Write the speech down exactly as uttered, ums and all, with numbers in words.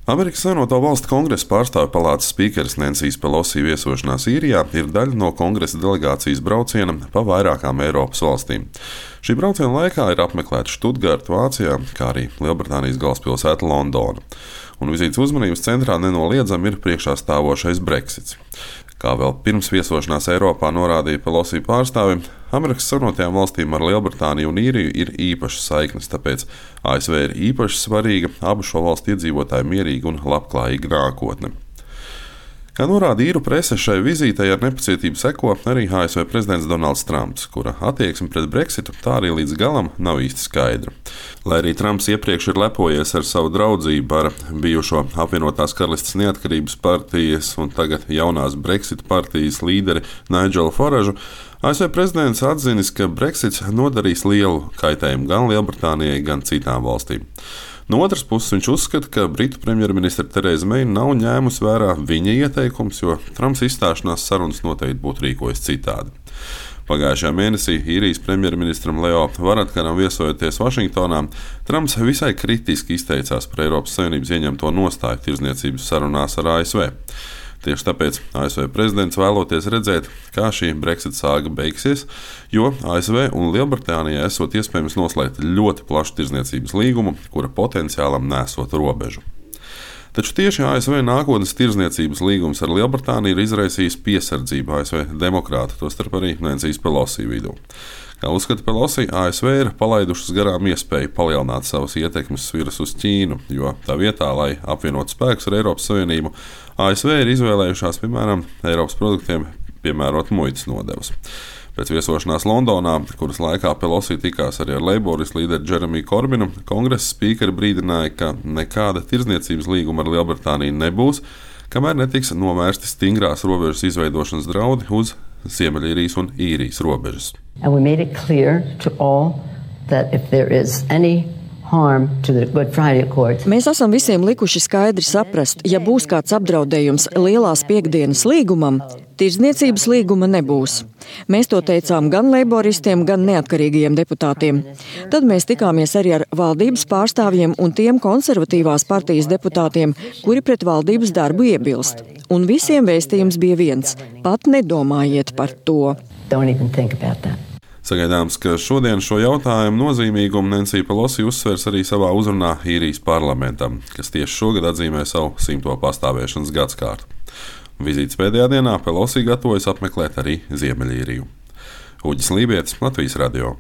Amerikas Savienoto Valstu Kongresa pārstāvju palātas spīkeres Nensijas Pelosi viesošanās Īrijā ir daļa no kongresa delegācijas brauciena pa vairākām Eiropas valstīm. Šī brauciena laikā ir apmeklēta Štutgarta Vācijā, kā arī Lielbritānijas galvaspilsēta Londona. Un vizītes uzmanības centrā nenoliedzami ir priekšā stāvošais Brexits. Kā vēl pirms viesošanās Eiropā norādīja Pelosi pārstāvi, Amerikas Savienotajām valstīm ar Lielbritāniju un Īriju ir īpašas saiknes, tāpēc A S V ir īpaši svarīga abu šo valstu iedzīvotāju mierīga un labklājīga nākotne. Kā norāda īru prese, šai vizītei ar nepacietību seko arī A S V prezidents Donalds Trumps, kura attieksme pret Brexitu tā arī līdz galam nav īsti skaidra. Lai arī Trumps iepriekš ir lepojies ar savu draudzību ar bijušo apvienotās karalistes neatkarības partijas un tagad jaunās Brexit partijas līderi Nigelu Faražu, A S V prezidents atzinis, ka Brexits nodarīs lielu kaitējumu gan Lielbritānijai, gan citām valstīm. No otras puses, viņš uzskata, ka Britu premjerministre Tereza Meija nav ņēmusi vērā viņa ieteikums, jo Trumps izstāšanās sarunas noteikti būtu rīkojis citādi. Pagājušajā mēnesī Īrijas premjerministram Leo Varadkaram viesojoties Vašingtonā, Trumps visai kritiski izteicās par Eiropas Savienības ieņemto nostāju tirdzniecības sarunās ar A S V. Tieši tāpēc A S V prezidents vēloties redzēt, kā šī Brexit sāga beigsies, jo A S V un Lielbritānijai esot iespējams noslēgt ļoti plašu tirdzniecības līgumu, kura potenciālam nesot robežu. Taču tieši A S V nākotnes tirdzniecības līgums ar Lielbritāniju ir izraisījis piesardzību A S V demokrātu, tostarp arī Nensijas Pelosi vidū. Kā uzskata Pelosi, A S V ir palaidušas garām iespēju palielināt savas ietekmes sviras uz Ķīnu, jo tā vietā, lai apvienotu spēkus ar Eiropas Savienību, A S V ir izvēlējušās, piemēram, Eiropas produktiem piemērot muitas nodevas. Pēc viesošanās Londonā, kuras laikā Pelosi tikās arī ar Leiboris līderi Džeremiju Korbinu, kongresa spīkeri brīdināja, ka nekāda tirdzniecības līguma ar Lielbritāniju nebūs, kamēr netiks novērsti stingrās robežas izveidošanas draudi uz Ziemeļīrijas un Īrijas robežas. And we made it clear to all that if there is any harm to the Good Friday Accords. Mēs esam visiem likuši skaidri saprast, ja būs kāds apdraudējums lielās piekdienas līgumam, tirdzniecības līguma nebūs. Mēs to teicām gan leiboristiem, gan neatkarīgajiem deputātiem. Tad mēs tikāmies arī ar valdības pārstāvjiem un tiem konservatīvās partijas deputātiem, kuri pret valdības darbu iebilst. Un visiem vēstījums bija viens – pat nedomājiet par to. Don't even think about that. Sagaidāms, ka šodien šo jautājumu nozīmīgumu Nensija Pelosi uzsvers arī savā uzrunā Īrijas parlamentam, kas tieši šogad atzīmē savu simto pastāvēšanas gadskārtu. Vizītes pēdējā dienā Pelosi gatavojas apmeklēt arī Ziemeļīriju. Uģis Lībietis, Latvijas radio.